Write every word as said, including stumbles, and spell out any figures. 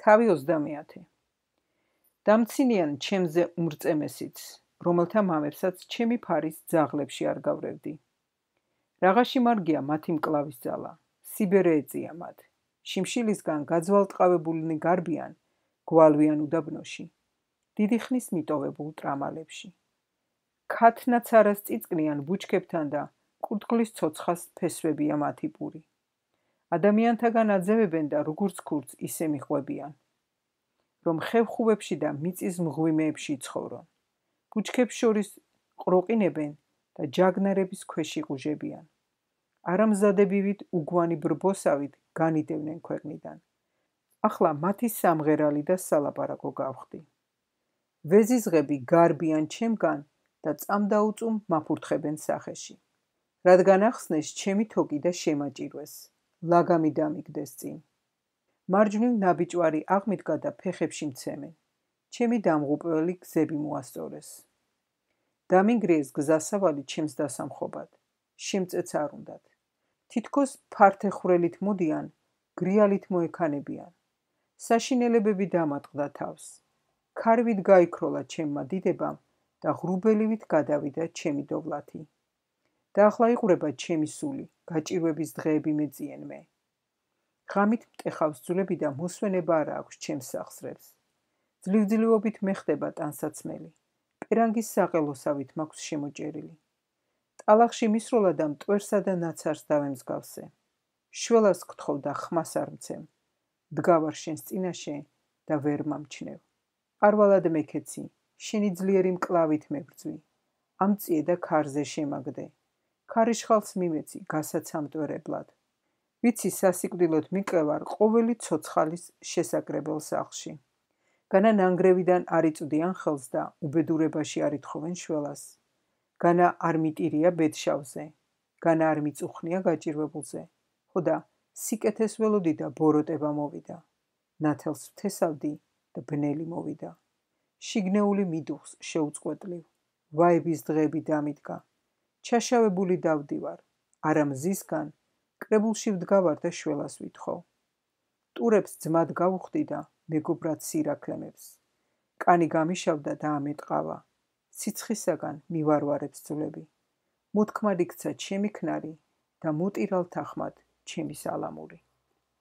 თავი ოცდამეათე. დამცინიან ჩემზე უმრწემესიც, რომელთა მამებსაც ჩემი ფარის ძაღლებში არ გავრევდი. Რაღაცი მარგია მათი მკლავის ძალა, სიბერე ეწია მათ. შიმშილისგან გაძვალტყავებულნი გარბიან, გვალვიან უდაბნოში, დიდი ხნის მიტოვებულ ტრამალებში. ქათნაც არას წიწკნიან ბუჩქებთან და კურდღლის ცოცხას ფესვებია მათი პური. ადამიანთაგან აძევებენ და როგორც ქურც ისე მიხვებიან, რომ ხევხუბებში და მიწის მღვიმეებში ცხოვრონ. ბუჩქებს შორის ყროყინებენ და ჯაგნარების ქვეშ იყუჟებიან. არამზადებივით უგვანი ბრბოსავით განიდევნენ ქვეყნიდან. ახლა მათი სამღერალი და სალაპარაკო გავხდი. ვეზიზღები გარბიან ჩემგან და წამდაუწუმ მაფურთხებენ სახეში. რადგან ახსნეს ჩემი თოკი და შემაჭირვეს, ლაგამი დამიგდეს წინ. მარჯვნივ ნაბიჯვარი აღმიდგა და ფეხებში მცემენ. ჩემი დამღუპველი გზები მოასწორეს. დამინგრიეს გზასავალი ჩემს დასამხობად. შემწეც არ უნდათ. თითქოს ფართეხვრელით მოდიან, გრიალით მოექანებიან. საშინელებები დამატყდა თავს. ქარვით გაიქროლა ჩემმა დიდებამ და ღრუბელივით გადავიდა ჩემი დოვლათი. და ახლა იყურება ჩემი სული, გაჭირვების დღეები მეწიენ მე. ღამით მტეხავს ძვლები და მოსვენება არ აქვს ჩემს სახსრებს. ძლივძლიობით მეხდება ტანსაცმელი. პერანგის საყელოსავით მაქვს შემოჭერილი. ტალახში მისროლა და მტვერსა და ნაცარს დავემსგავსე. შველას გთხოვ და ხმას არ მცემ. დგავარ შენს წინაშე და ვერ მომჩნევ. არვალად მეკეცი, შენი ძლიერი მკლავით მებრძვი. ამწიე და ქარზე შემაგდე. ქარიშხალს მიმეცი, გასაცამტვერებლად. ვიცი სასიკვდილოდ მიყევარ ყოველი ცოცხალის შესაკრებელ სახლში. განა ნანგრევიდან არ იწვდიან ხელს და უბედურებაში არ ითხოვენ შველას. განა არ მიტირია ბედშავზე, განა არ მიწუხნია გაჭირვებულზე. ხოდა სიკეთეს ველოდი და ბოროტება მოვიდა. ნათელს ვთესავდი და ბნელი მოვიდა. შიგნეული მიდუხს შეუწყვეტლივ. ვაების დღეები დამიდგა. ჩაშავებული დავდივარ, არა მზისგან, კრებულში ვდგავარ და შველას ვითხოვ. ტურებს ძმად გავუხდი და მეგობრად სირაქლემებს. კანი გამიშავდა და ამეტყავა. სიცხისაგან მივარვარებს ძვლები. მოთქმად იქცა ჩემი ქნარი და მოტირალ თანხმად ჩემი სალამური.